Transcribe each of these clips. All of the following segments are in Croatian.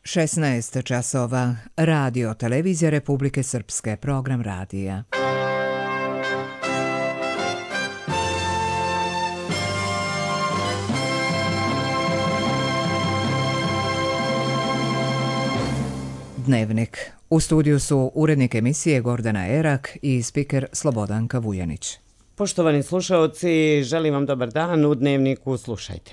16 časova. Radio Televizija Republike Srpske. Program radija. Dnevnik. U studiju su urednik emisije Gordana Erak i spiker Slobodanka Vujanić. Poštovani slušaoci, želim vam dobar dan. U Dnevniku slušajte.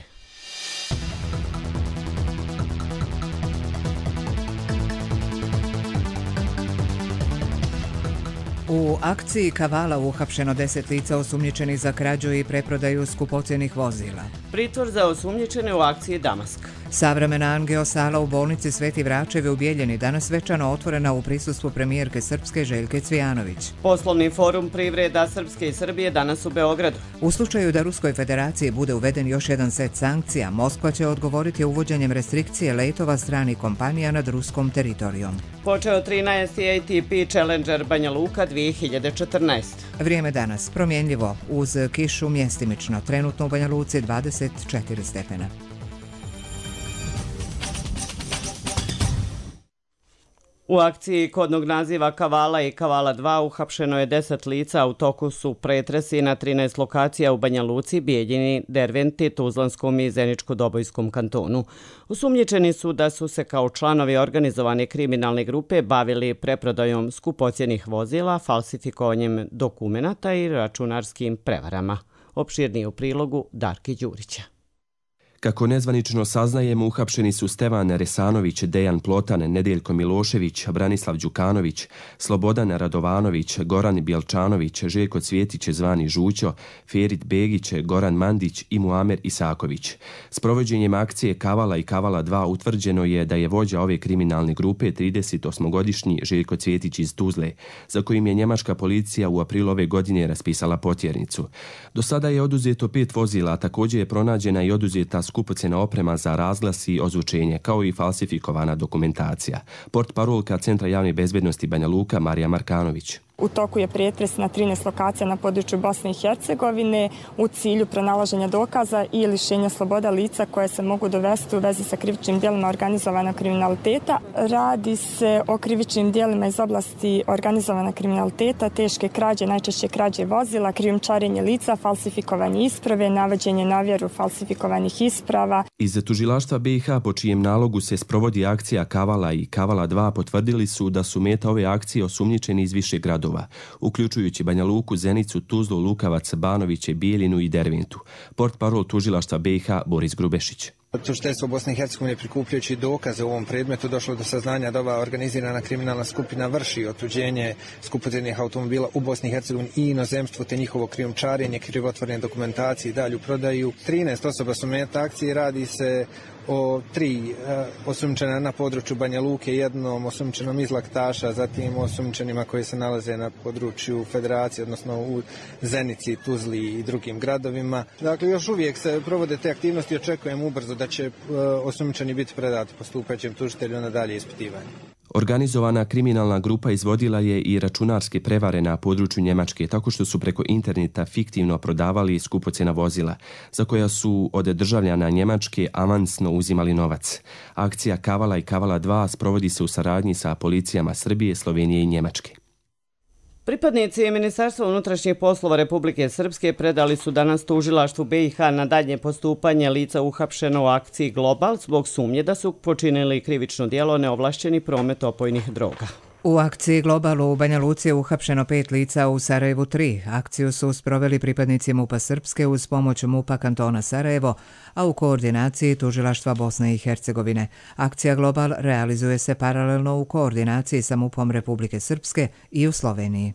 U akciji Kavala uhapšeno 10 lica osumnjičenih za krađu i preprodaju skupocjenih vozila. Pritvor za osumnjičene u akciji Damask. Savremena angio-sala u bolnici Sveti Vračevi u Bijeljini danas svečano otvorena u prisustvu premijerke Srpske Željke Cvijanović. Poslovni forum privreda Srpske i Srbije danas u Beogradu. U slučaju da Ruskoj federaciji bude uveden još jedan set sankcija, Moskva će odgovoriti uvođenjem restrikcije letova stranih kompanija nad ruskom teritorijom. Počeo 13. ATP Challenger Banja Luka 2014. Vrijeme danas promjenljivo, uz kišu mjestimično, trenutno u Banja Luci 24 stepena. U akciji kodnog naziva Kavala i Kavala 2 uhapšeno je 10 lica, a u toku su pretresi na 13 lokacija u Banja Luci, Bijeljini, Derventi, Tuzlanskom i Zeničko-Dobojskom kantonu. Osumnjičeni su da su se kao članovi organizovane kriminalne grupe bavili preprodajom skupocjenih vozila, falsifikovanjem dokumenata i računarskim prevarama. Opširnije u prilogu Darki Đurića. Kako nezvanično saznajemo, uhapšeni su Stevan Resanović, Dejan Plotan, Nedeljko Milošević, Branislav Đukanović, Slobodan Radovanović, Goran Bjelčanović, Željko Cvjetić zvani Žućo, Ferit Begić, Goran Mandić i Muamer Isaković. S provođenjem akcije Kavala i Kavala 2 utvrđeno je da je vođa ove kriminalne grupe 38-godišnji Željko Cvjetić iz Tuzle, za kojim je njemačka policija u aprilu ove godine raspisala potjernicu. Do sada je oduzeto 5 vozila, a također je pronađena i oduzeta skupocjena oprema za razglas i ozvučenje, kao i falsifikovana dokumentacija. Portparolka Centra javne bezbednosti Banja Luka Marija Markanović. U toku je pretres na 13 lokacija na području Bosne i Hercegovine u cilju pronalaženja dokaza i lišenja sloboda lica koje se mogu dovesti u vezi sa krivičnim djelima organizovanog kriminaliteta. Radi se o krivičnim djelima iz oblasti organizovanog kriminaliteta, teške krađe, najčešće krađe vozila, krijumčarenje lica, falsifikovanje isprave, navođenje na vjeru falsifikovanih isprava. Iz tužilaštva BiH, po čijem nalogu se sprovodi akcija Kavala i Kavala 2, potvrdili su da su meta ove akcije osumnjičeni iz više gradova, uključujući Banja Luku, Zenicu, Tuzlu, Lukavac, Banoviće, Bijeljinu i Derventu. Portparol tužilaštva BiH Boris Grubešić. Tužiteljstvo Bosne i Hercegovine prikupljajući dokaze u ovom predmetu došlo do saznanja da ova organizirana kriminalna skupina vrši otuđenje skupocjenih automobila u Bosni i Hercegovini i inozemstvu te njihovo krijumčarenje, krivotvorene dokumentacije i dalju prodaju. 13 osoba su meta akcije, radi se o 3 osumnjičena na području Banja Luke, jednom osumnjičenom iz Laktaša, zatim osumnjičenima koji se nalaze na području Federacije, odnosno u Zenici, Tuzli i drugim gradovima. Dakle, još uvijek se provode te aktivnosti i očekujemo ubrzo da će osumnjičeni biti predati postupajućem tužitelju na dalje ispitivanje. Organizovana kriminalna grupa izvodila je i računarske prevare na području Njemačke tako što su preko interneta fiktivno prodavali skupocjena vozila, za koja su od državljana Njemačke avansno uzimali novac. Akcija Kavala i Kavala 2 sprovodi se u saradnji sa policijama Srbije, Slovenije i Njemačke. Pripadnici Ministarstva unutrašnjih poslova Republike Srpske predali su danas tužilaštvu BiH na dalje postupanje lica uhapšeno u akciji Global zbog sumnje da su počinili krivično djelo neovlašćeni promet opojnih droga. U akciji Globalu u Banja Luci je uhapšeno 5 lica, u Sarajevu 3. Akciju su sproveli pripadnici MUP-a Srpske uz pomoć MUP-a kantona Sarajevo, a u koordinaciji tužilaštva Bosne i Hercegovine. Akcija Global realizuje se paralelno u koordinaciji sa MUP-om Republike Srpske i u Sloveniji.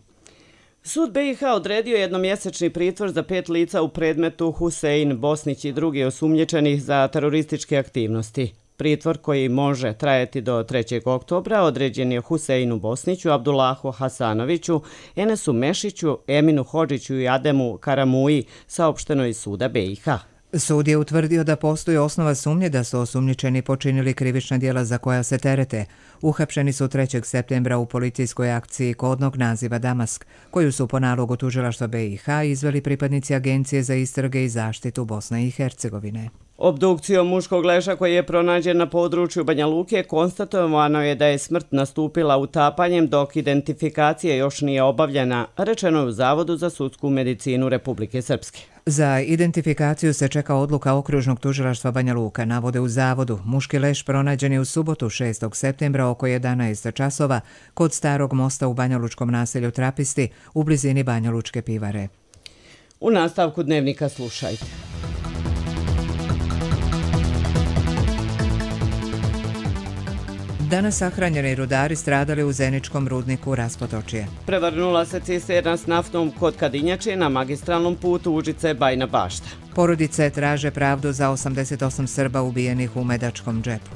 Sud BiH odredio jednomjesečni pritvor za 5 lica u predmetu Husein Bosnić i drugi osumnjičenih za terorističke aktivnosti. Pritvor koji može trajati do 3. oktobra određen je Huseinu Bosniću, Abdullahu Hasanoviću, Enesu Mešiću, Eminu Hodžiću i Ademu Karamuji, saopšteno iz suda BiH. Sud je utvrdio da postoji osnova sumnje da su osumnjičeni počinili krivična djela za koja se terete. Uhapšeni su 3. septembra u policijskoj akciji kodnog naziva Damask, koju su po nalogu tužilaštva BiH izveli pripadnici Agencije za istrage i zaštitu Bosne i Hercegovine. Obdukcijom muškog leša koji je pronađen na području Banja Luke konstatovano je da je smrt nastupila utapanjem dok identifikacija još nije obavljena, rečeno je u Zavodu za sudsku medicinu Republike Srpske. Za identifikaciju se čeka odluka okružnog tužilaštva Banja Luka, navode u Zavodu. Muški leš pronađen je u subotu 6. septembra oko 11 časova kod starog mosta u banjalučkom naselju Trapisti u blizini Banjalučke pivare. U nastavku dnevnika slušajte. Danas sahranjeni rudari stradali u Zeničkom rudniku Raspotočje. Prevrnula se cisterna s naftom kod Kadinjače na magistralnom putu Užice-Bajna Bašta. Porodice traže pravdu za 88 Srba ubijenih u Medačkom džepu.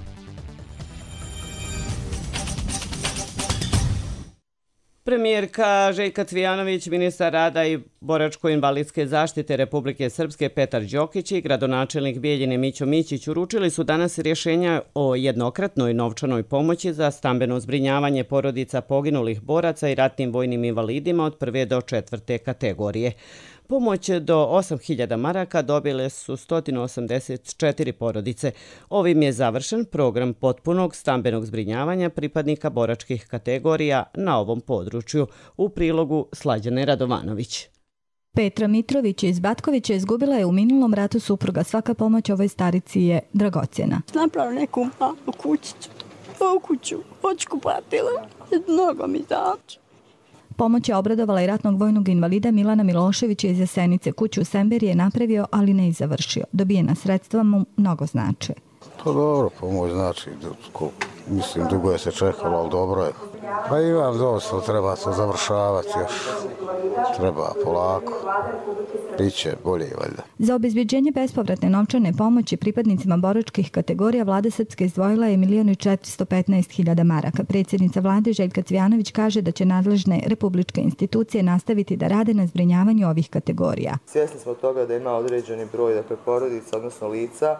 Premijerka Željka Cvijanović, ministar rada i boračko-invalidske zaštite Republike Srpske Petar Đokić i gradonačelnik Bijeljine Mićo Mićić uručili su danas rješenja o jednokratnoj novčanoj pomoći za stambeno zbrinjavanje porodica poginulih boraca i ratnim vojnim invalidima od 1. do 4. kategorije. Pomoć do 8.000 maraka dobile su 184 porodice. Ovim je završen program potpunog stambenog zbrinjavanja pripadnika boračkih kategorija na ovom području. U prilogu Slađane Radovanović. Petra Mitrović iz Batkovića izgubila je u minulom ratu supruga. Svaka pomoć ovoj starici je dragocjena. Napravila neku malu kućicu, ovu kuću, očku platila, mnogo mi znači. Pomoć je obradovala i ratnog vojnog invalida Milana Miloševića iz Jasenice. Kuću u Semberi je napravio, ali ne i završio. Dobijena sredstva mu mnogo znače. To dobro, pomoć znači, mislim, dugo je se čekalo, ali dobro je. Pa imam dosta, treba se završavati još, treba polako, biće bolje valjda. Za obezbeđenje bespovratne novčane pomoći pripadnicima boračkih kategorija vlada Srpske izdvojila je 1.415.000 maraka. Predsjednica vlade Željka Cvijanović kaže da će nadležne republičke institucije nastaviti da rade na zbrinjavanju ovih kategorija. Svjesni smo toga da ima određeni broj porodica, odnosno lica,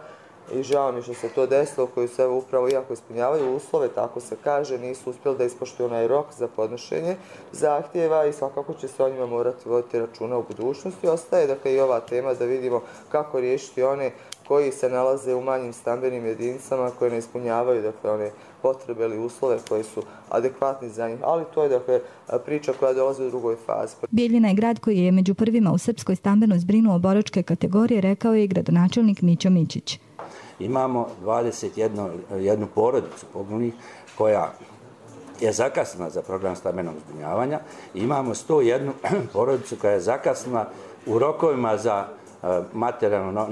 i žao mi što se to desilo, koji se upravo, iako ispunjavaju uslove, tako se kaže, nisu uspjeli da ispoštuju onaj rok za podnošenje zahtjeva i svakako će se o njima morati voditi računa u budućnosti. Ostaje dakle i ova tema da vidimo kako riješiti one koji se nalaze u manjim stambenim jedinicama koje ne ispunjavaju dakle one potrebe ili uslove koji su adekvatni za njih, ali to je dakle priča koja dolazi u drugoj fazi. Bijeljina je grad koji je među prvima u Srpskoj stambeno zbrinuo boračke kategorije, rekao je i gradonačelnik Mićo Mićić. Imamo 21 porodicu poginulih koja je zakasnila za program stambenog zbrinjavanja i imamo 101 porodicu koja je zakasnila u rokovima za materijalnu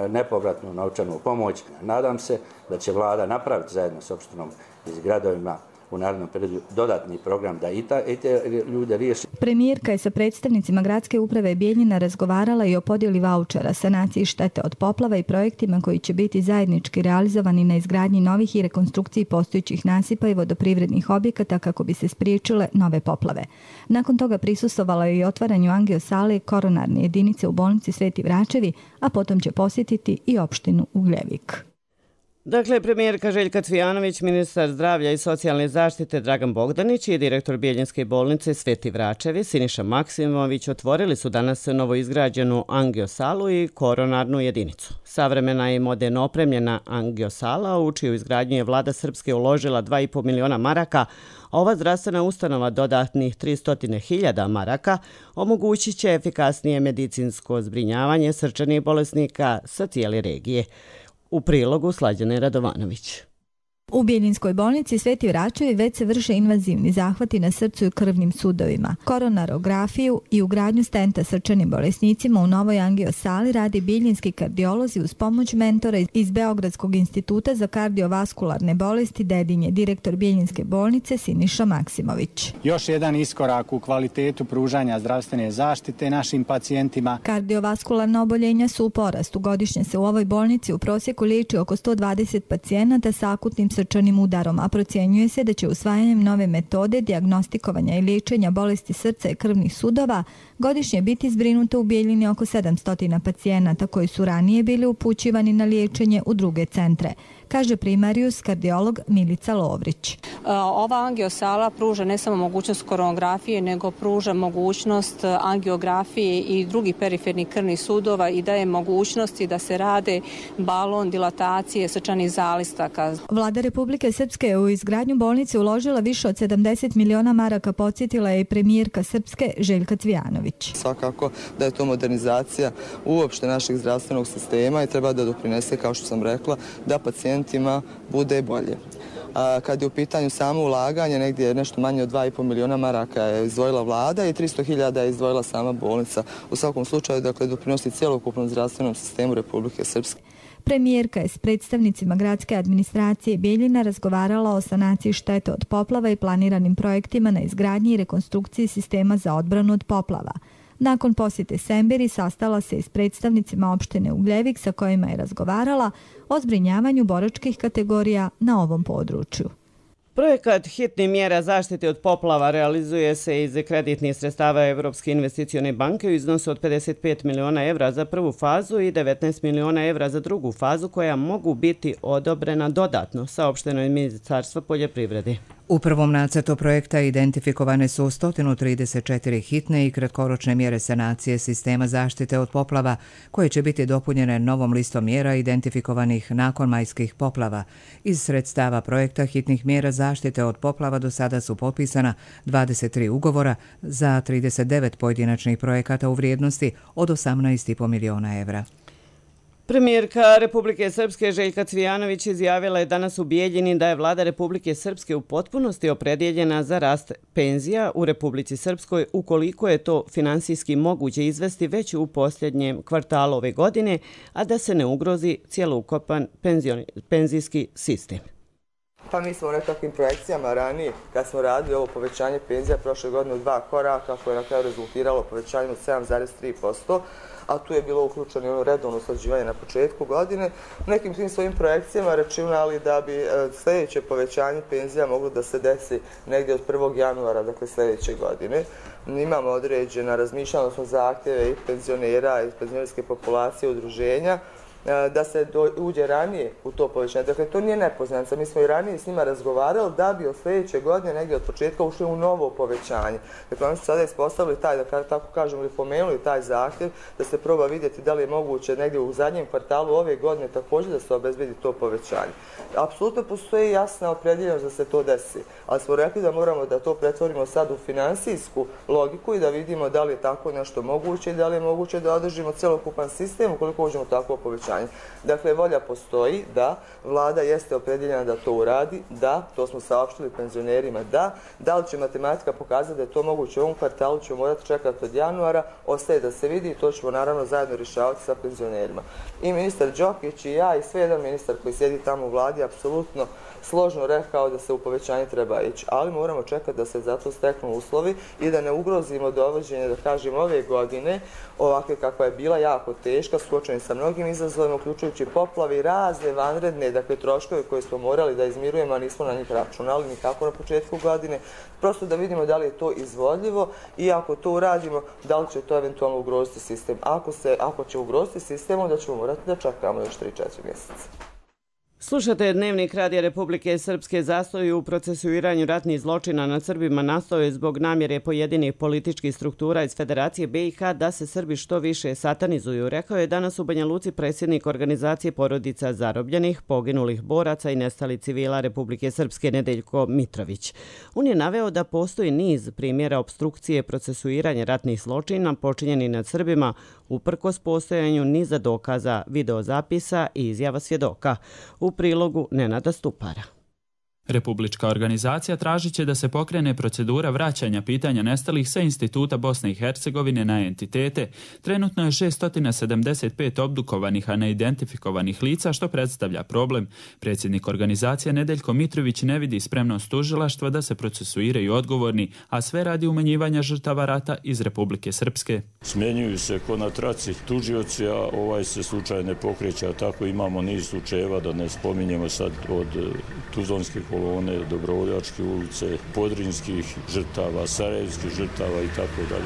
nepovratnu novčanu pomoć. Nadam se da će vlada napraviti zajedno s opštinom i s gradovima u narednom periodu dodatni program da i te ljude riješi. Premijerka je sa predstavnicima gradske uprave Bijeljina razgovarala i o podjeli vaučera, sanaciji štete od poplava i projektima koji će biti zajednički realizovani na izgradnji novih i rekonstrukciji postojećih nasipa i vodoprivrednih objekata kako bi se spriječile nove poplave. Nakon toga prisustvovala je i otvaranju angio-sale koronarne jedinice u bolnici Sveti Vračevi, a potom će posjetiti i opštinu Ugljevik. Dakle, premijerka Željka Cvijanović, ministar zdravlja i socijalne zaštite Dragan Bogdanić i direktor Bijeljinske bolnice Sveti Vračevi Siniša Maksimović otvorili su danas novoizgrađenu angiosalu i koronarnu jedinicu. Savremena i moderno opremljena angiosala, u čiju izgradnju je vlada Srpske uložila 2,5 miliona maraka, a ova zdravstvena ustanova dodatnih 300.000 maraka omogućit će efikasnije medicinsko zbrinjavanje srčanih bolesnika sa cijele regije. U prilogu Slađane Radovanović. U Bijeljinskoj bolnici Sveti Vračevi već se vrše invazivni zahvati na srcu i krvnim sudovima. Koronarografiju i ugradnju stenta srčanim bolesnicima u novoj angiosali radi bijeljinski kardiolozi uz pomoć mentora iz Beogradskog instituta za kardiovaskularne bolesti Dedinje, direktor Bijeljinske bolnice Siniša Maksimović. Još jedan iskorak u kvalitetu pružanja zdravstvene zaštite našim pacijentima. Kardiovaskularna oboljenja su u porastu. Godišnje se u ovoj bolnici u prosjeku liječi oko 120 pacijenata sa akutnim srčanim udarom, a procjenjuje se da će usvajanjem nove metode dijagnostikovanja i liječenja bolesti srca i krvnih sudova godišnje biti zbrinuto u Bijeljini oko 700 pacijenata koji su ranije bili upućivani na liječenje u druge centre, kaže primarijus kardiolog Milica Lovrić. Ova angiosala pruža ne samo mogućnost koronografije, nego pruža mogućnost angiografije i drugih perifernih krvnih sudova i daje mogućnosti da se rade balon dilatacije srčanih zalistaka. Vlada Republike Srpske je u izgradnju bolnice uložila više od 70 miliona maraka, podsjetila je i premijerka Srpske Željka Cvijanović. Svakako da je to modernizacija uopšte našeg zdravstvenog sistema i treba da doprinese, kao što sam rekla, da pacijentima bude bolje. Kad je u pitanju samo ulaganje, negdje nešto manje od 2,5 miliona maraka je izdvojila vlada i 300.000 je izdvojila sama bolnica. U svakom slučaju, dakle, doprinosi cjelokupnom zdravstvenom sistemu Republike Srpske. Premijerka je s predstavnicima gradske administracije Bijeljina razgovarala o sanaciji štete od poplava i planiranim projektima na izgradnji i rekonstrukciji sistema za odbranu od poplava. Nakon posjete Semberi sastala se i s predstavnicima opštine Ugljevik sa kojima je razgovarala o zbrinjavanju boračkih kategorija na ovom području. Projekat hitnih mjera zaštite od poplava realizuje se iz kreditnih sredstava Evropske investicione banke u iznosu od 55 miliona evra za prvu fazu i 19 miliona evra za drugu fazu, koja mogu biti odobrena dodatno, saopšteno je Ministarstvo poljoprivrede. U prvom nacrtu projekta identifikovane su 134 hitne i kratkoročne mjere sanacije sistema zaštite od poplava, koje će biti dopunjene novom listom mjera identifikovanih nakon majskih poplava. Iz sredstava projekta hitnih mjera zaštite od poplava do sada su potpisana 23 ugovora za 39 pojedinačnih projekata u vrijednosti od 18,5 miliona evra. Premijerka Republike Srpske Željka Cvijanović izjavila je danas u Bijeljini da je vlada Republike Srpske u potpunosti opredjeljena za rast penzija u Republici Srpskoj ukoliko je to finansijski moguće izvesti već u posljednjem kvartalu ove godine, a da se ne ugrozi cjelokupan penzijski sistem. Pa mi smo u nekakvim projekcijama ranije, kad smo radili ovo povećanje penzija prošle godine u 2 koraka, koje je na kraju rezultiralo povećanjem od 7,3%, a tu je bilo uključeno redovno usklađivanje na početku godine. U nekim tim svojim projekcijama računali da bi sljedeće povećanje penzija moglo da se desi negdje od 1. januara, dakle sljedeće godine. Imamo određena razmišljanja, odnosno zahtjeve i penzionera i penzionerske populacije, udruženja, da se uđe ranije u to povećanje. Dakle, to nije nepoznanica. Mi smo i ranije s njima razgovarali da bi od sljedeće godine negdje od početka ušli u novo povećanje. Dakle, oni su sada ispostavili taj, da tako kažemo, ili pomenuli taj zahtjev, da se proba vidjeti da li je moguće negdje u zadnjem kvartalu ove godine također da se obezbedi to povećanje. Apsolutno postoji jasna opredjeljenost da se to desi, ali smo rekli da moramo da to pretvorimo sad u finansijsku logiku i da vidimo da li je tako nešto moguće i da li je moguće da održimo cjelokupan sistem ukoliko uđemo takvo povećanje. Dakle, volja postoji, da, vlada jeste opredjeljena da to uradi, da, to smo saopštili penzionerima, da li će matematika pokazati da je to moguće u ovom kvartalu, ćemo morati čekati od januara, ostaje da se vidi i to ćemo naravno zajedno rješavati sa penzionerima. I ministar Đokić i ja i sve jedan ministar koji sjedi tamo u vladi apsolutno složno rekao da se u povećanje treba ići, ali moramo čekati da se zato steknu uslovi i da ne ugrozimo dovođenje, da kažem, ove godine, ovakve kakva je bila jako teška, suočeni sa mnogim izazovima, uključujući poplavi, razne vanredne, dakle, troškove koje smo morali da izmirujemo, a nismo na njih računali nikako na početku godine, prosto da vidimo da li je to izvodljivo i ako to uradimo, da li će to eventualno ugroziti sistem. Ako će ugroziti sistem, onda ćemo morati da čekamo još 3-4 mjeseca. Slušate Dnevnik Radija Republike Srpske. Zastoj u procesuiranju ratnih zločina nad Srbima nastao je zbog namjere pojedinih političkih struktura iz Federacije BiH da se Srbi što više satanizuju, rekao je danas u Banja Luci predsjednik organizacije porodica zarobljenih, poginulih boraca i nestalih civila Republike Srpske Nedeljko Mitrović. On je naveo da postoji niz primjera opstrukcije procesuiranja ratnih zločina počinjeni nad Srbima uprkos postojanju niza dokaza, videozapisa i izjava svjedoka. U prilogu Nenada Stupara. Republička organizacija tražit će da se pokrene procedura vraćanja pitanja nestalih sa Instituta Bosne i Hercegovine na entitete. Trenutno je 675 obdukovanih, a neidentifikovanih lica, što predstavlja problem. Predsjednik organizacije Nedeljko Mitrović ne vidi spremnost tužilaštva da se procesuiraju odgovorni, a sve radi umanjivanja žrtava rata iz Republike Srpske. Smjenjuju se ko na traci tužioci, a ovaj se slučaj ne pokreće, a tako imamo niz slučajeva, da ne spominjemo sad od Tuzlanske kolone, Dobrovoljačke ulice, Podrinskih žrtava, Sarajevskih žrtava i tako dalje.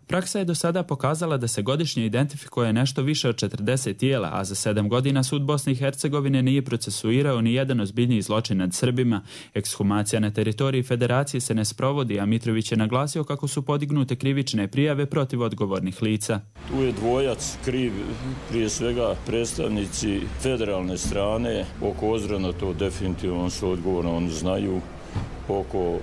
Praksa je do sada pokazala da se godišnje identifikuje nešto više od 40 tijela, a za 7 godina sud Bosne i Hercegovine nije procesuirao ni jedan ozbiljniji zločin nad Srbima. Ekshumacija na teritoriji federacije se ne sprovodi, a Mitrović je naglasio kako su podignute krivične prijave protiv odgovornih lica. Tu je dvojac kriv, prije svega predstavnici federalne strane. Oko Ozrana to definitivno su odgovorni, oni znaju. Oko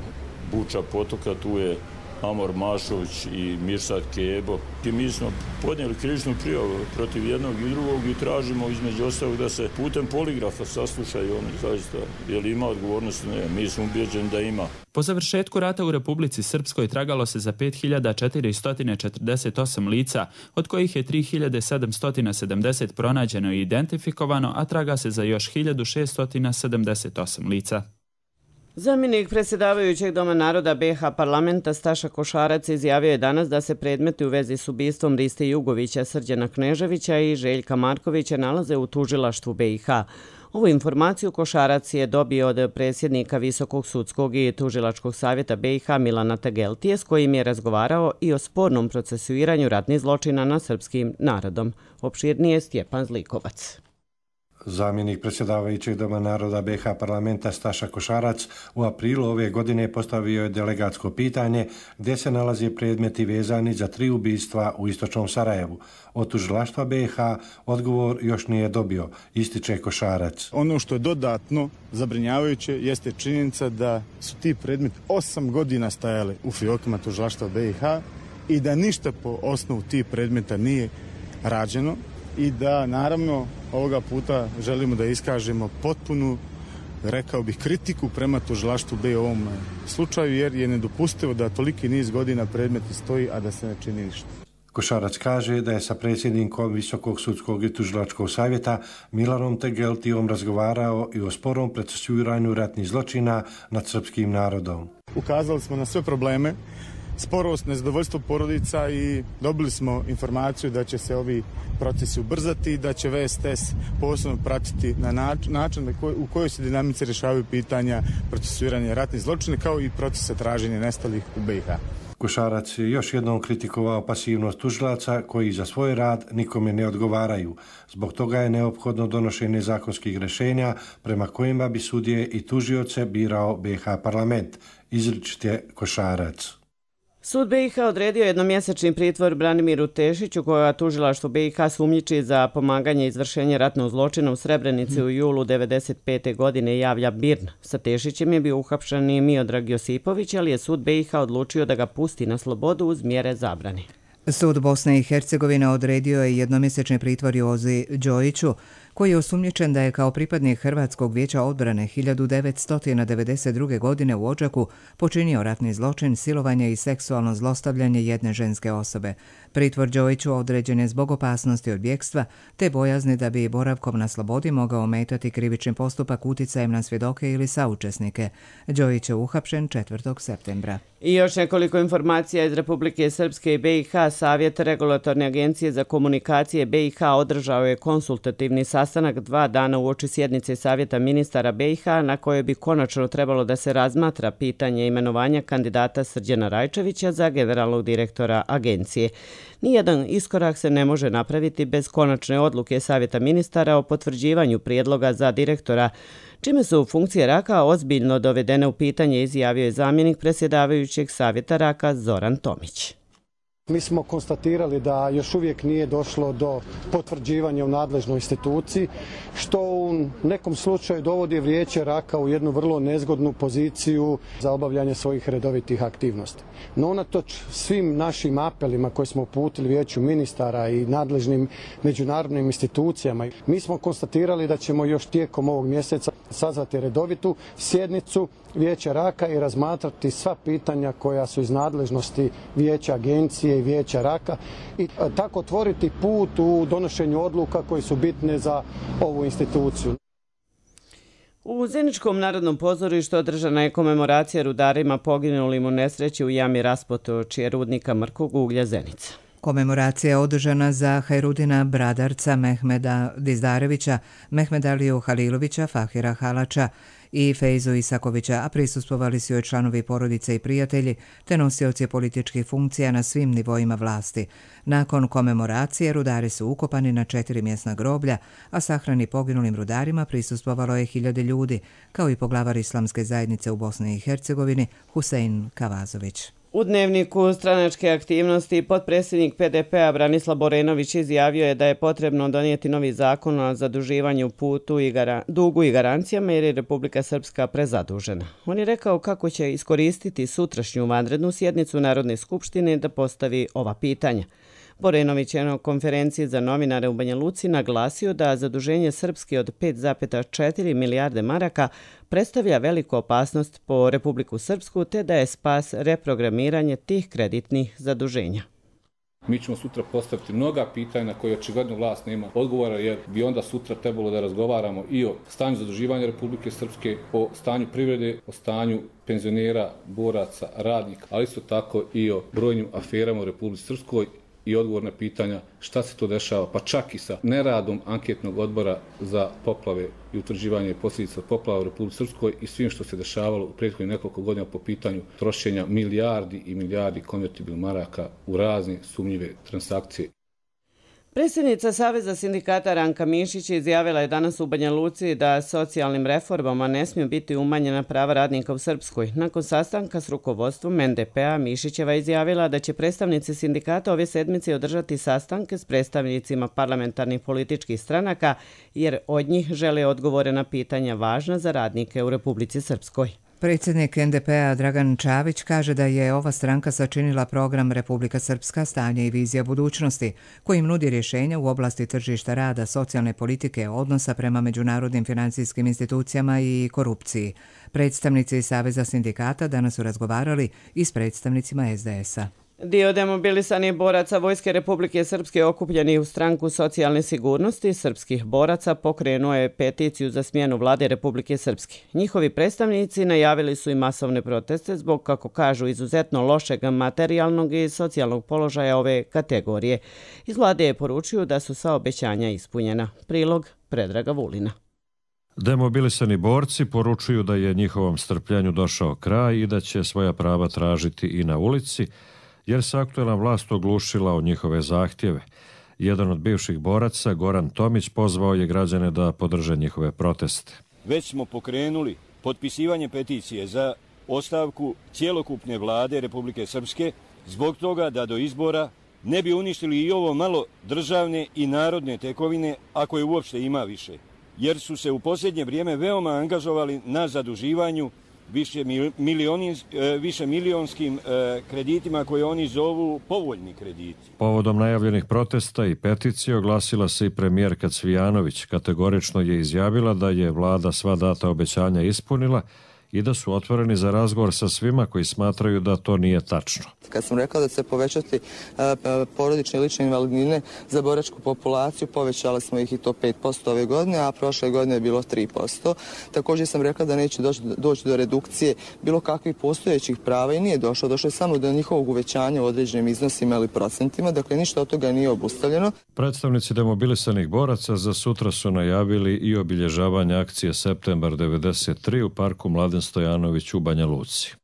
Buča potoka tu je Amor Mašović i Mirsad Kebo. I mi smo podnijeli krivičnu prijavu protiv jednog i drugog i tražimo između ostalog da se putem poligrafa saslušaju oni zaista. Je li ima odgovornost? Ne, mi smo ubeđeni da ima. Po završetku rata u Republici Srpskoj tragalo se za 5448 lica, od kojih je 3770 pronađeno i identifikovano, a traga se za još 1678 lica. Zamjenik predsjedavajućeg Doma naroda BiH parlamenta Staša Košarac izjavio je danas da se predmeti u vezi s ubistvom Riste Jugovića, Srđana Kneževića i Željka Markovića nalaze u tužilaštvu BiH. Ovu informaciju Košarac je dobio od predsjednika Visokog sudskog i tužilačkog savjeta BiH Milana Tegeltije, s kojim je razgovarao i o spornom procesuiranju ratnih zločina nad srpskim narodom. Opširnije Stjepan Zlikovac. Zamjenik predsjedavajućeg Doma naroda BiH parlamenta Staša Košarac u aprilu ove godine postavio je delegatsko pitanje gdje se nalaze predmeti vezani za 3 ubistva u istočnom Sarajevu. Od tužilaštva BiH odgovor još nije dobio, ističe Košarac. Ono što je dodatno zabrinjavajuće jeste činjenica da su ti predmeti 8 godina stajali u fiokima tužilaštva BiH i da ništa po osnovu tih predmeta nije rađeno. I da, naravno, ovoga puta želimo da iskažemo potpunu, rekao bih, kritiku prema tužilaštvu BiH u ovom slučaju, jer je nedopustivo da toliki niz godina predmeti stoji, a da se ne čini ništa. Košarac kaže da je sa predsjednikom Visokog sudskog i tužilačkog savjeta Milanom Tegeltijom razgovarao i o sporom procesuiranju ratnih zločina nad srpskim narodom. Ukazali smo na sve probleme, sporost, nezadovoljstvo porodica i dobili smo informaciju da će se ovi procesi ubrzati i da će VSTS posebno pratiti na način u kojoj se dinamici rješavaju pitanja procesuiranja ratnih zločina kao i procesa traženja nestalih u BiH. Košarac je još jednom kritikovao pasivnost tužilaca koji za svoj rad nikome ne odgovaraju. Zbog toga je neophodno donošenje zakonskih rješenja prema kojima bi sudije i tužioce birao BiH parlament, izričite Košarac. Sud BiH odredio jednomjesečni pritvor Branimiru Tešiću, koja tužilaštvo BiH sumnjiči za pomaganje izvršenja ratnog zločina u Srebrenici u julu 1995. godine, javlja BIRN. Sa Tešićem je bio uhapšen i Miodrag Josipović, ali je sud BiH odlučio da ga pusti na slobodu uz mjere zabrane. Sud Bosne i Hercegovine odredio je jednomjesečni pritvor Jozi Đojiću, koji je osumnjičen da je kao pripadnik Hrvatskog vijeća odbrane 1992. godine u Odžaku počinio ratni zločin, silovanje i seksualno zlostavljanje jedne ženske osobe. Pritvor Đojiću određen je zbog opasnosti od bjekstva te bojazni da bi boravkom na slobodi mogao ometati krivični postupak uticajem na svjedoke ili saučesnike. Đojić je uhapšen 4. septembra. I još nekoliko informacija iz Republike Srpske i BiH. Savjet Regulatorne agencije za komunikacije BiH održao je konsultativni sastanak 2 dana uoči sjednice Savjeta ministara BiH, na kojoj bi konačno trebalo da se razmatra pitanje imenovanja kandidata Srđana Rajčevića za generalnog direktora agencije. Nijedan iskorak se ne može napraviti bez konačne odluke Savjeta ministara o potvrđivanju prijedloga za direktora, čime su funkcije RAK-a ozbiljno dovedene u pitanje, izjavio je zamjenik predsjedavajućeg Savjeta RAK-a Zoran Tomić. Mi smo konstatirali da još uvijek nije došlo do potvrđivanja u nadležnoj instituciji, što u nekom slučaju dovodi Vijeće Raka u jednu vrlo nezgodnu poziciju za obavljanje svojih redovitih aktivnosti. No unatoč svim našim apelima koje smo uputili Vijeću ministara i nadležnim međunarodnim institucijama, mi smo konstatirali da ćemo još tijekom ovog mjeseca sazvati redovitu sjednicu Vijeća Raka i razmatrati sva pitanja koja su iz nadležnosti Vijeća Agencije i Vijeća Raka i tako otvoriti put u donošenju odluka koji su bitne za ovu instituciju. U Zeničkom narodnom pozorištu održana je komemoracija rudarima poginulim u nesreći u jami raspotočje rudnika mrkog uglja Zenica. Komemoracija je održana za Hajrudina Bradarca, Mehmeda Dizdarevića, Mehmeda Aliju Halilovića, Fahira Halača i Fejzu Isakovića, a prisustvovali su joj članovi porodice i prijatelji, te nosioci političkih funkcija na svim nivoima vlasti. Nakon komemoracije rudari su ukopani na 4 mjesna groblja, a sahrani poginulim rudarima prisustvovalo je 1000 ljudi, kao i poglavar Islamske zajednice u Bosni i Hercegovini Husein Kavazović. U dnevniku stranačke aktivnosti potpredsjednik PDP-a Branislav Borenović izjavio je da je potrebno donijeti novi zakon o zaduživanju, dugu i garancijama jer je Republika Srpska prezadužena. On je rekao kako će iskoristiti sutrašnju vanrednu sjednicu Narodne skupštine da postavi ova pitanja. Borenović je na konferenciji za novinare u Banja Luci naglasio da zaduženje Srpske od 5,4 milijarde maraka predstavlja veliku opasnost po Republiku Srpsku te da je spas reprogramiranje tih kreditnih zaduženja. Mi ćemo sutra postaviti mnoga pitanja na koje očigledno vlast nema odgovora, jer bi onda sutra trebalo da razgovaramo i o stanju zaduživanja Republike Srpske, o stanju privrede, o stanju penzionera, boraca, radnika, ali isto tako i o brojnim aferama u Republici Srpskoj i odgovor na pitanja šta se to dešava, pa čak i sa neradom anketnog odbora za poplave i utvrđivanje posljedica poplava u Republici Srpskoj i svim što se dešavalo u prethodnih nekoliko godina po pitanju trošenja milijardi i milijardi konvertibilnih maraka u razne sumnjive transakcije. Predsjednica Saveza sindikata Ranka Mišić izjavila je danas u Banja Luci da socijalnim reformama ne smiju biti umanjena prava radnika u Srpskoj. Nakon sastanka s rukovodstvom NDP-a Mišićeva izjavila da će predstavnici sindikata ove sedmice održati sastanke s predstavnicima parlamentarnih političkih stranaka jer od njih žele odgovore na pitanja važna za radnike u Republici Srpskoj. Predsjednik NDP-a Dragan Čavić kaže da je ova stranka sačinila program Republika Srpska, stanje i vizija budućnosti, kojim nudi rješenja u oblasti tržišta rada, socijalne politike, odnosa prema međunarodnim financijskim institucijama i korupciji. Predstavnici Saveza sindikata danas su razgovarali i s predstavnicima SDS-a. Dio demobilisanih boraca Vojske Republike Srpske okupljeni u stranku socijalne sigurnosti srpskih boraca pokrenuo je peticiju za smjenu vlade Republike Srpske. Njihovi predstavnici najavili su i masovne proteste zbog, kako kažu, izuzetno lošeg materijalnog i socijalnog položaja ove kategorije. Iz vlade je poručio da su sva obećanja ispunjena. Prilog Predraga Vulina. Demobilisani borci poručuju da je njihovom strpljenju došao kraj i da će svoja prava tražiti i na ulici, jer se aktuelna vlast oglušila o njihove zahtjeve. Jedan od bivših boraca, Goran Tomić, pozvao je građane da podrže njihove proteste. Već smo pokrenuli potpisivanje peticije za ostavku cjelokupne vlade Republike Srpske zbog toga da do izbora ne bi uništili i ovo malo državne i narodne tekovine, ako je uopšte ima više, jer su se u posljednje vrijeme veoma angažovali na zaduživanju više milionskim kreditima koje oni zovu povoljni krediti. Povodom najavljenih protesta i peticije oglasila se i premijerka Cvijanović. Kategorično je izjavila da je vlada sva data obećanja ispunila i da su otvoreni za razgovor sa svima koji smatraju da to nije tačno. Kad sam rekao da će se povećati porodične i lične invalidnine za boračku populaciju, povećali smo ih i to 5% ove godine, a prošle godine je bilo 3%. Također sam rekla da neće doći do redukcije bilo kakvih postojećih prava i nije došlo. Došlo je samo do njihovog uvećanja u određenim iznosima ili procentima, dakle ništa od toga nije obustavljeno. Predstavnici demobilisanih boraca za sutra su najavili i obilježavanje akcije Septembar 93 u parku Mladen Stojanović u Banja Luci.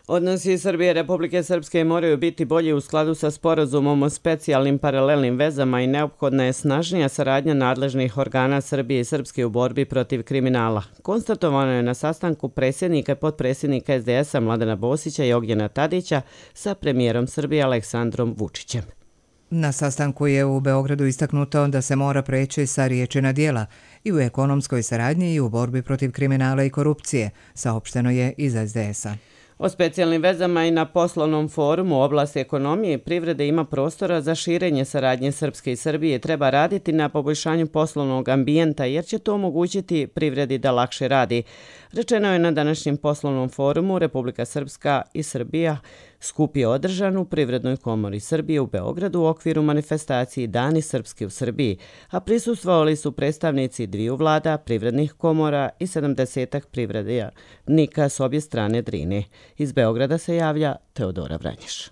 Odnosi Srbije i Republike Srpske moraju biti bolji u skladu sa sporazumom o specijalnim paralelnim vezama i neophodna je snažnija saradnja nadležnih organa Srbije i Srpske u borbi protiv kriminala. Konstatovano je na sastanku predsjednika i potpredsjednika SDS-a Mladena Bosića i Ognjena Tadića sa premijerom Srbije Aleksandrom Vučićem. Na sastanku je u Beogradu istaknuto da se mora preći sa riječi na djela i u ekonomskoj saradnji i u borbi protiv kriminala i korupcije, saopšteno je iz SDS-a. O specijalnim vezama i na poslovnom forumu u oblasti ekonomije i privrede ima prostora za širenje saradnje Srpske i Srbije. Treba raditi na poboljšanju poslovnog ambijenta jer će to omogućiti privredi da lakše radi. Rečeno je na današnjem poslovnom forumu Republika Srpska i Srbija skup je održan u Privrednoj komori Srbije u Beogradu u okviru manifestacije Dani Srpske u Srbiji, a prisustvovali su predstavnici dviju vlada, privrednih komora i 70-ak privrednika s obje strane Drine. Iz Beograda se javlja Teodora Vranješ.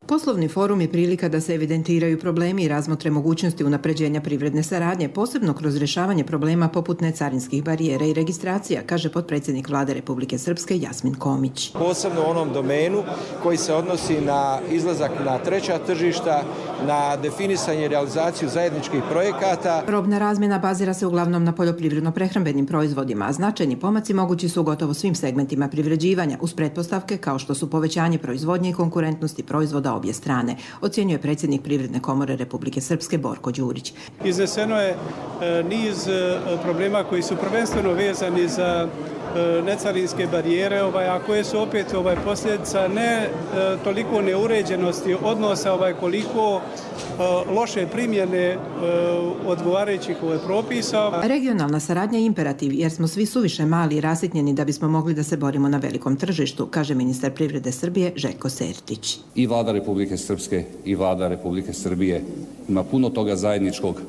Poslovni forum je prilika da se evidentiraju problemi i razmotre mogućnosti unapređenja privredne saradnje, posebno kroz rješavanje problema poput necarinskih barijera i registracija, kaže potpredsjednik Vlade Republike Srpske Jasmin Komić. Posebno u onom domenu koji se odnosi na izlazak na treća tržišta, na definisanje i realizaciju zajedničkih projekata. Robna razmjena bazira se uglavnom na poljoprivredno-prehrambenim proizvodima, a značajni pomaci mogući su u gotovo svim segmentima privređivanja, uz pretpostavke kao što su povećanje proizvodnje i konkurentnosti proizvoda obje strane, ocjenjuje predsjednik Privredne komore Republike Srpske Borko Đurić. Izneseno je niz problema koji su prvenstveno vezani za necarinske barijere, a koje su opet posljedica ne toliko neuređenosti odnosa, koliko loše primjene odgovarajućih propisa. Regionalna saradnja je imperativ jer smo svi suviše mali i rasitnjeni da bismo mogli da se borimo na velikom tržištu, kaže ministar privrede Srbije Željko Sertić. I Vlada Republike Srpske i Vlada Republike Srbije ima puno toga zajedničkog.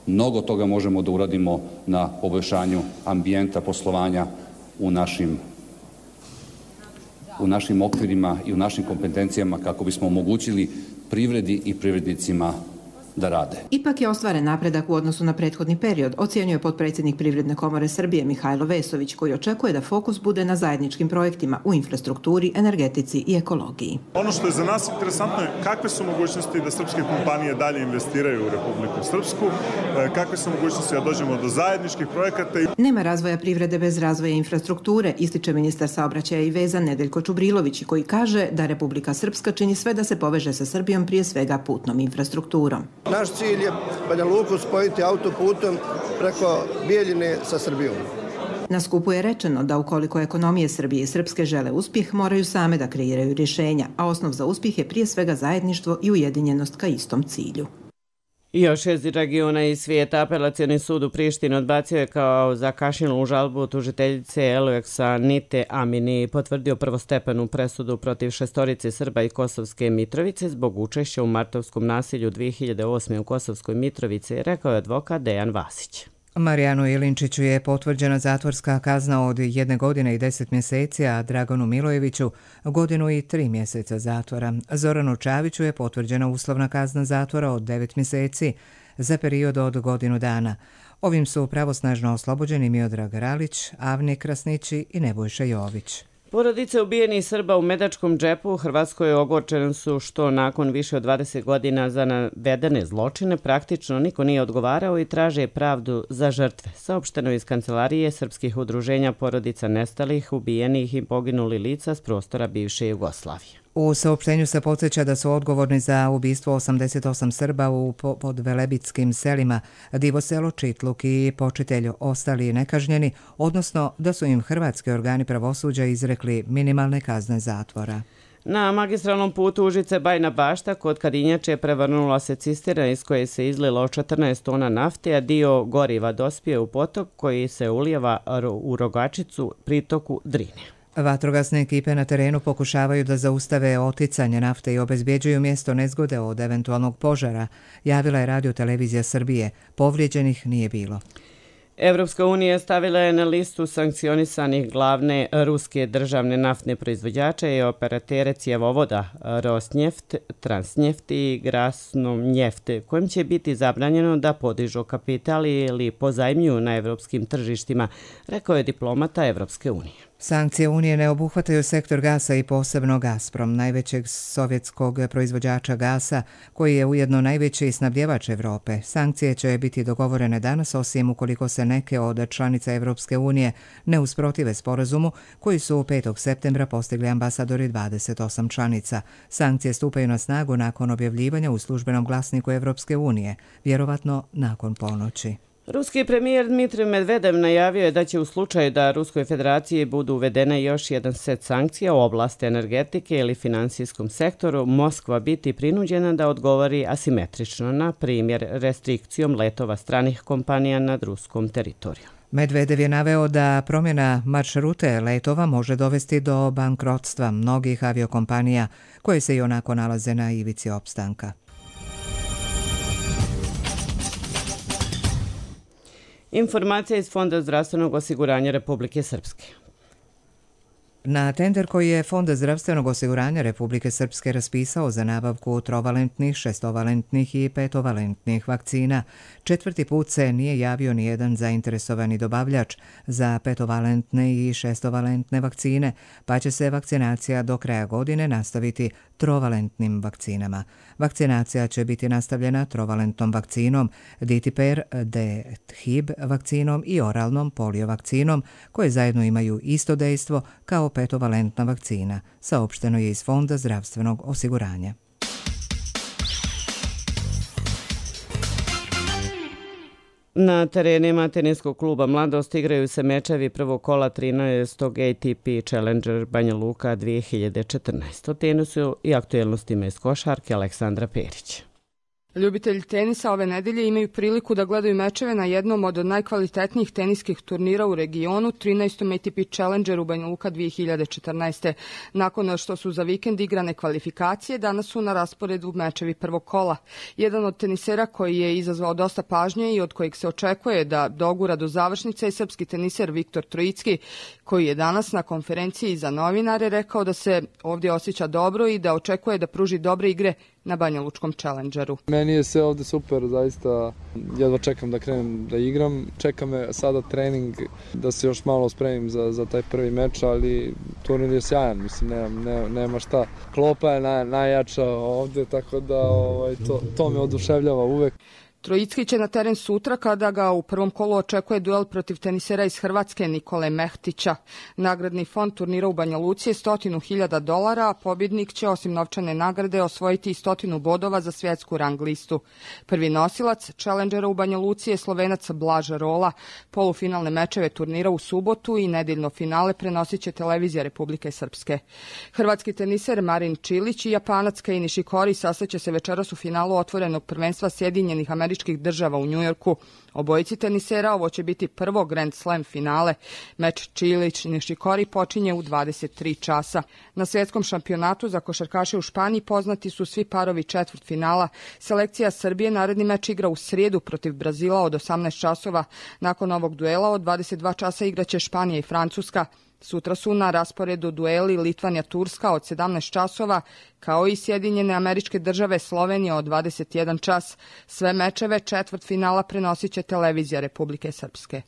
Mnogo toga možemo da uradimo na poboljšanju ambijenta poslovanja u našim okvirima i u našim kompetencijama kako bismo omogućili privredi i privrednicima da rade. Ipak je ostvaren napredak u odnosu na prethodni period, ocjenjuje potpredsjednik Privredne komore Srbije Mihajlo Vesović, koji očekuje da fokus bude na zajedničkim projektima u infrastrukturi, energetici i ekologiji. Ono što je za nas interesantno je kakve su mogućnosti da srpske kompanije dalje investiraju u Republiku Srpsku, kakve su mogućnosti da dođemo do zajedničkih projekata. Nema razvoja privrede bez razvoja infrastrukture, ističe ministar saobraćaja i veza Nedeljko Čubrilović, koji kaže da Republika Srpska čini sve da se poveže sa Srbijom, prije svega putnom infrastrukturom. Naš cilj je Banja Luku spojiti autoputom preko Bijeljine sa Srbijom. Na skupu je rečeno da ukoliko ekonomije Srbije i Srpske žele uspjeh, moraju same da kreiraju rješenja, a osnov za uspjeh je prije svega zajedništvo i ujedinjenost ka istom cilju. I još iz regiona i svijeta apelacioni sud u Prištini odbacio je kao zakašnjelu žalbu tužiteljice Elueksa Nite Amini, potvrdio prvostepenu presudu protiv 6 Srba i Kosovske Mitrovice zbog učešća u martovskom nasilju 2008. u Kosovskoj Mitrovici, rekao je advokat Dejan Vasić. Marijanu Ilinčiću je potvrđena zatvorska kazna od 1 godine i 10 mjeseci, a Draganu Milojeviću 1 godinu i 3 mjeseca zatvora. Zoranu Čaviću je potvrđena uslovna kazna zatvora od 9 mjeseci za period od 1 godinu dana. Ovim su pravosnažno oslobođeni Miodrag Ralić, Avni Krasnići i Nebojša Jović. Porodice ubijenih Srba u Medačkom džepu u Hrvatskoj ogorčene su što nakon više od 20 godina za navedene zločine praktično niko nije odgovarao i traže pravdu za žrtve, saopšteno iz Kancelarije srpskih udruženja porodica nestalih, ubijenih i poginuli lica s prostora bivše Jugoslavije. U saopštenju se podsjeća da su odgovorni za ubistvo 88 Srba u podvelebitskim selima Divoselo, Čitluk i Počitelj ostali nekažnjeni, odnosno da su im hrvatski organi pravosuđa izrekli minimalne kazne zatvora. Na magistralnom putu Užice-Bajna Bašta kod Kadinjače prevrnula se cisterna iz koje se izlilo 14 tona nafte, a dio goriva dospije u potok koji se ulijeva u Rogačicu, pritoku Drine. Vatrogasne ekipe na terenu pokušavaju da zaustave oticanje nafte i obezbjeđuju mjesto nezgode od eventualnog požara, javila je Radio Televizija Srbije. Povrijeđenih nije bilo. Evropska unija stavila je na listu sankcionisanih glavne ruske državne naftne proizvođače i operatere cjevovoda Rosneft, Transneft i Grasnonjeft, kojim će biti zabranjeno da podižu kapital ili pozajmljuju na evropskim tržištima, rekao je diplomata Evropske unije. Sankcije Unije ne obuhvataju sektor gasa i posebno Gazprom, najvećeg sovjetskog proizvođača gasa, koji je ujedno najveći snabdjevač Evrope. Sankcije će biti dogovorene danas, osim ukoliko se neke od članica Evropske unije ne usprotive sporazumu, koji su 5. septembra postigli ambasadori 28 članica. Sankcije stupaju na snagu nakon objavljivanja u službenom glasniku Evropske unije, vjerovatno nakon ponoći. Ruski premijer Dmitrij Medvedev najavio je da će u slučaju da Ruskoj federaciji budu uvedene još jedan set sankcija u oblasti energetike ili finansijskom sektoru, Moskva biti prinuđena da odgovori asimetrično, na primjer restrikcijom letova stranih kompanija nad ruskom teritoriju. Medvedev je naveo da promjena maršrute letova može dovesti do bankrotstva mnogih aviokompanija koje se i onako nalaze na ivici opstanka. Informacija iz Fonda zdravstvenog osiguranja Republike Srpske. Na tender koji je Fond zdravstvenog osiguranja Republike Srpske raspisao za nabavku trovalentnih, šestovalentnih i petovalentnih vakcina, 4. put se nije javio ni jedan zainteresovani dobavljač za petovalentne i šestovalentne vakcine, pa će se vakcinacija do kraja godine nastaviti trovalentnim vakcinama. Vakcinacija će biti nastavljena trovalentnom vakcinom, Ditiper, D-Hib vakcinom i oralnom polio vakcinom, koje zajedno imaju isto dejstvo kao petovalentna vakcina, saopšteno je iz Fonda zdravstvenog osiguranja. Na terenima teniskog kluba Mladost igraju se mečevi prvog kola 13. ATP Challenger Banja Luka 2014. O tenisu i aktuelnostima iz košarke Aleksandra Perić. Ljubitelji tenisa ove nedelje imaju priliku da gledaju mečeve na jednom od najkvalitetnijih teniskih turnira u regionu, 13. ATP Challenger u Banja Luka 2014. Nakon što su za vikend igrane kvalifikacije, danas su na rasporedu mečevi prvog kola. Jedan od tenisera koji je izazvao dosta pažnje i od kojeg se očekuje da dogura do završnice je srpski teniser Viktor Trojicki, koji je danas na konferenciji za novinare rekao da se ovdje osjeća dobro i da očekuje da pruži dobre igre na Banja Lučkom Challengeru. Meni je sve ovdje super, zaista jedva čekam da krenem da igram. Čeka me sada trening da se još malo spremim za taj prvi meč, ali turnir je sjajan, mislim, nema šta. Klopa je najjača ovdje, tako da to me oduševljava uvek. Trojicki će na teren sutra kada ga u prvom kolu očekuje duel protiv tenisera iz Hrvatske Nikole Mehtića. Nagradni fond turnira u Banja Luci je $100.000, a pobjednik će osim novčane nagrade osvojiti i 100 bodova za svjetsku rang listu. Prvi nosilac Challengera u Banja Luci je Slovenac Blaž Rola. Polufinalne mečeve turnira u subotu i nedeljno finale prenosit će televizija Republike Srpske. Hrvatski teniser Marin Čilić i Japanac Kei Nishikori sastaće se večeras u finalu otvorenog prvenstva Sjedinjenih Američkih Država u Njujorku. Obojici tenisera ovo će biti prvo Grand Slam finale. Meč Čilić-Nishikori počinje u 23 časa. Na svjetskom šampionatu za košarkaše u Španiji poznati su svi parovi četvrtfinala. Selekcija Srbije naredni meč igra u srijedu protiv Brazila od 18 časova. Nakon ovog duela od 22 časa igraće Španija i Francuska. Sutra su na rasporedu dueli Litvanija-Turska od 17 časova, kao i Sjedinjene Američke Države Slovenija od 21 čas. Sve mečeve četvrtfinala prenosit će televizija Republike Srpske.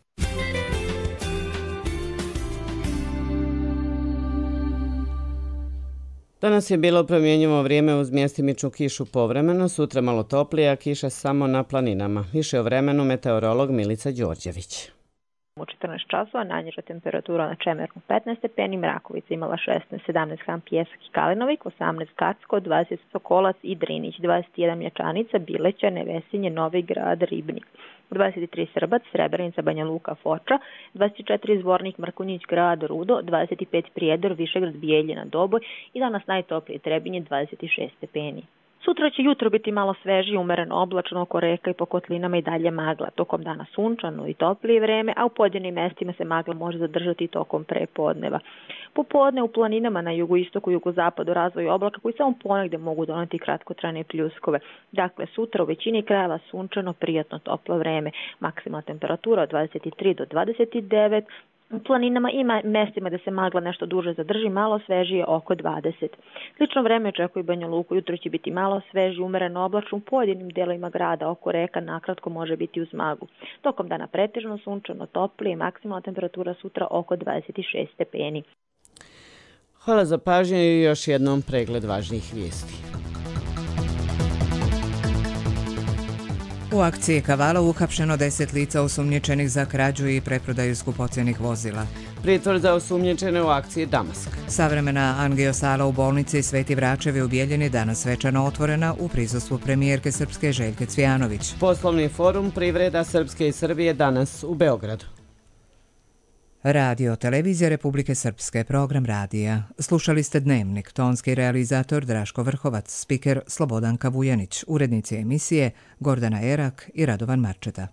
Danas je bilo promjenjivo vrijeme uz mjestimičnu kišu povremeno, sutra malo toplije, a kiša samo na planinama. Više o vremenu meteorolog Milica Đorđević. U 14 časova najniža temperatura na Čemernu 15 stepeni, Mrakovica imala 16, 17 Han Pjesak i Kalinovik, 18 Kacko, 20 Sokolac i Drinić, 21 Mljačanica, Bileća, Nevesinje, Novi Grad, Ribnik. 23 Srbac, Srebrenica, Banja Luka, Foča, 24 Zvornik, Mrkonjić, Grad, Rudo, 25 Prijedor, Višegrad, Bijeljina, Doboj i danas najtoplije Trebinje, 26 stepeni. Sutra će jutro biti malo svežije, umereno oblačno, oko reka i po kotlinama i dalje magla. Tokom dana sunčano i toplije vreme, a u pojedinim mestima se magla može zadržati tokom prepodneva. Popodne u planinama na jugoistoku i jugozapadu razvoju oblaka koji samo ponegde mogu doneti kratkotrajne pljuskove. Dakle, sutra u većini krajeva sunčano, prijatno toplo vreme. Maksimalna temperatura od 23 do 29, U planinama ima mestima da se magla nešto duže zadrži, malo svežije oko 20. Slično vreme očekuje Banja Luku, jutro će biti malo sveži, umereno oblačno, u pojedinim delovima grada oko reka nakratko može biti uz maglu. Tokom dana pretežno sunčano, toplije, maksimalna temperatura sutra oko 26 stepeni. Hvala za pažnju i još jednom pregled važnijih vijesti. U akciji Kavala uhapšeno 10 lica osumnjičenih za krađu i preprodaju skupocjenih vozila. Pritvor za osumnjičene u akciji Damask. Savremena angiosala u bolnici Sveti Vračevi u Bijeljini danas svečano otvorena u prisustvu premijerke Srpske Željke Cvijanović. Poslovni forum Privreda Srpske i Srbije danas u Beogradu. Radio Televizija Republike Srpske, program radija. Slušali ste Dnevnik, tonski realizator Draško Vrhovac, spiker Slobodanka Vujanić, urednici emisije Gordana Erak i Radovan Marčeta.